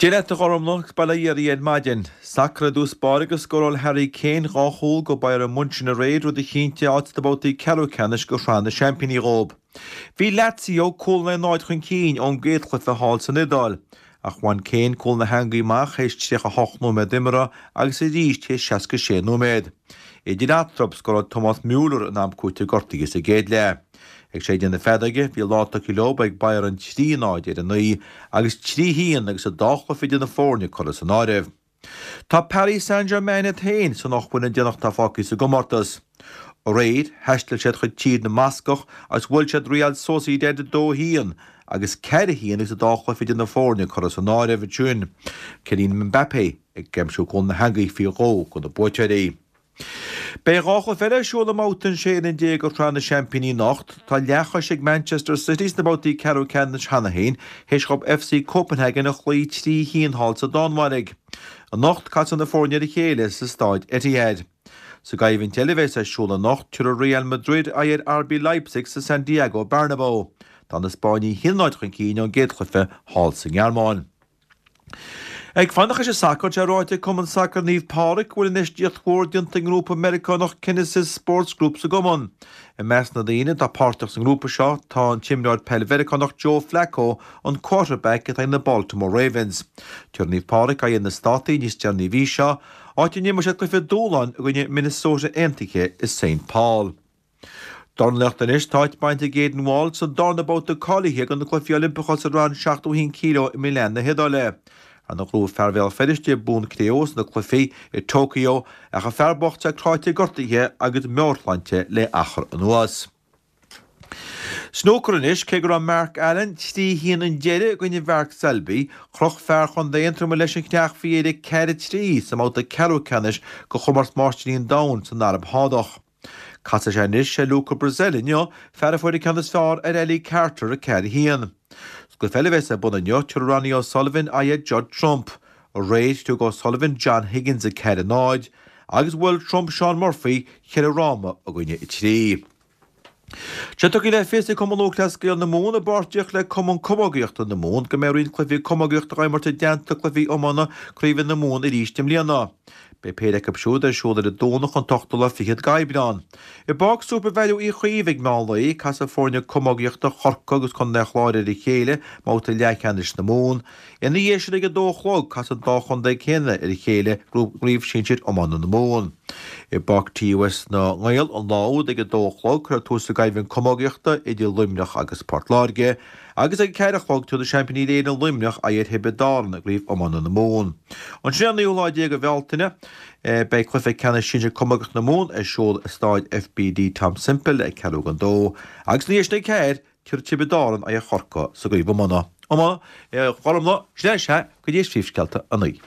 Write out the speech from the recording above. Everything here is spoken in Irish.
Dia leat a Ghormlaith agus bail ó Dhia oraibh ar maidin. Sacar i dtús báire agus scóráil Harry Kane 2 chúl go Bayern Munchen aréir, rud a chinntigh áit sna babhtaí ceathrú ceannais go Shraith na Seaimpíní dhóibh. Bhí Lazio cúl in aghaidh 0 chun cinn ón gcéad chluiche thall san Iodáil, ach bhain Kane cúl na heangaí amach théis 38 nóiméad imeartha agus arís théis 66 nóiméad. Idir eatarthu, scóráil Thomas Muller in am cúitimh gortaithe sa gcéad leath. Ag séideadh na feadóige, bhí an lá tugtha leo ag Bayern 3, 0 ar a n-aghaidh agus 3, 1 agus an dá chluiche idir na foirne curtha san áireamh. Tá Paris Saint-Germain iad féin san ocht bhfoireann déanach atá fágtha sa gcomórtas. Aréir, thaistil siad chuig Tír na mBascach agus bhuail siad Real Sociedad 2, 1 agus 4, 1 agus an dá chluiche idir na foirne curtha san áireamh ansin. Kylian Mbappé ag aimsiú cúl na heangaí faoi dhó do na buaiteoirí. Beidh 2 chluiche eile ar siúl i mBabhta an 16 fhoireann de Shraith na Seaimpíní anocht. Tá leathchois ag Manchester City sna babhtaí ceathrú ceannais cheana féin théis dhóibh FC Copenhagen a chloí 3 1 thall sa Danmhairg. Anocht casfaidh na foirne ar a chéile sa staid Etihad. Sa gcoimhlint eile a bheas ar siúl anocht, tabharfaidh Real Madrid aghaidh ar RB Leipzig sa Santiago Bernabeu. Tá na Spáinnigh 1-0 chun cinn ón gcéad chluiche thall sa nGearmáin. Ag fanacht leis an sacar, tá ráite ag Cumann Sacair Naomh Pádraig go bhfuil infheistíocht mhór déanta ag an ngrúpa Meiriceánach Kinesis Sports Group sa gcumann. I measc na ndaoine atá páirteach sa ngrúpa seo tá an t-imreoir peil Mheiriceánach Joe Flacco, an quarterback atá ag na Baltimore Ravens. Tabharfaidh Naomh Pádraig aghaidh ar na Státaí níos deireanaí an mhí seo, áit a n-imreoidh siad cluiche dúshláin i gcoinne Minnesota Aontaithe i Saint Paul. Dornálaíocht anois, tá áit bainte ag Aidan Walsh sa darna babhta cáilithe do na Cluichí Oilimpeacha sa rang 71 kg i Milan na hIodáile. Ar ndóigh ghnóthaigh fear Bhéal Feirste bonn cré-umha sna cluichí i Tokyo ach an fear bocht é cráite gortaithe agus meabhairshláinte le achar anuas. Snúcar anois, cé go raibh Mark Allen 3 1 an deireadh i gcoinne Mhark Selby, chroch fear Chontae Aontroma leis an chreach faoi dheireadh 4 3 sa mbabhta ceathrú ceannais de Chomórtas Máistirí an Domhain san Araib Shádach. Casfaidh sé anois ar Luca Brecel inniu, fear a fuair an ceann is fearr ar Ali Carter, 4 1. Sa gcluiche eile a bheas ar bun inniu, tabharfaidh Ronnie O'Sullivan aghaidh ar Judd Trump. Aréir, thug O'Sullivan John Higgins 4 0 agus bhuail Trump Shaun Murphy cheithre fhráma i gcoinne 3. Tá sé tugtha le fios ag Cumann Lúthchleas Gael na Mumhan i bpáirtíocht le Cumann Camógaíochta na Mumhan go mbeidh roinnt cluichí camógaíochta á imirt i dteannta cluichí iomána craoibhe na Mumhan arís i mbliana. Beidh péire acu siúd ar siúl ar an Domhnach an t-ochtú lá fichead d'Aibreán. I bPáirc Supervalu Uí Chaoimh ag meán lae, casfaidh foirne camógaíochta Chorcaí agus Contae an Chláir ar a chéile i mbabhta leathcheannais na Mumhan. Ina dhiaidh sin ag a dó a chlog, casfaidh an dá chontae céanna ar a chéile i gCraobh Shinsir Iomána na Mumhan. I bPáirc TUS na nGael an lá úd ag a dó a chlog, cuirfear tús le coimhlint camógaíochta idir Luimneach agus Port Láirge. Agus ag a ceathair a chlog tabharfaidh seaimpíní Éireann Luimneach aghaidh ar Thiobraid Árann i gCraobh Iomána na Mumhan. Ansin ar an naoú lá déag de Bhealtaine beidh cluiche ceannais sinsir camógaíochta na Mumhan ar siúl i Stáid FBD Tom Semple ag ceathrú don dó agus ina dhiaidh sin ag a ceathair tabharfaidh Tiobraid Árann aghaidh ar Chorcaigh sa gCraobh Iomána. Iomána, Gormlaith, sin é, sea, go dtí is príomhscéalta 9.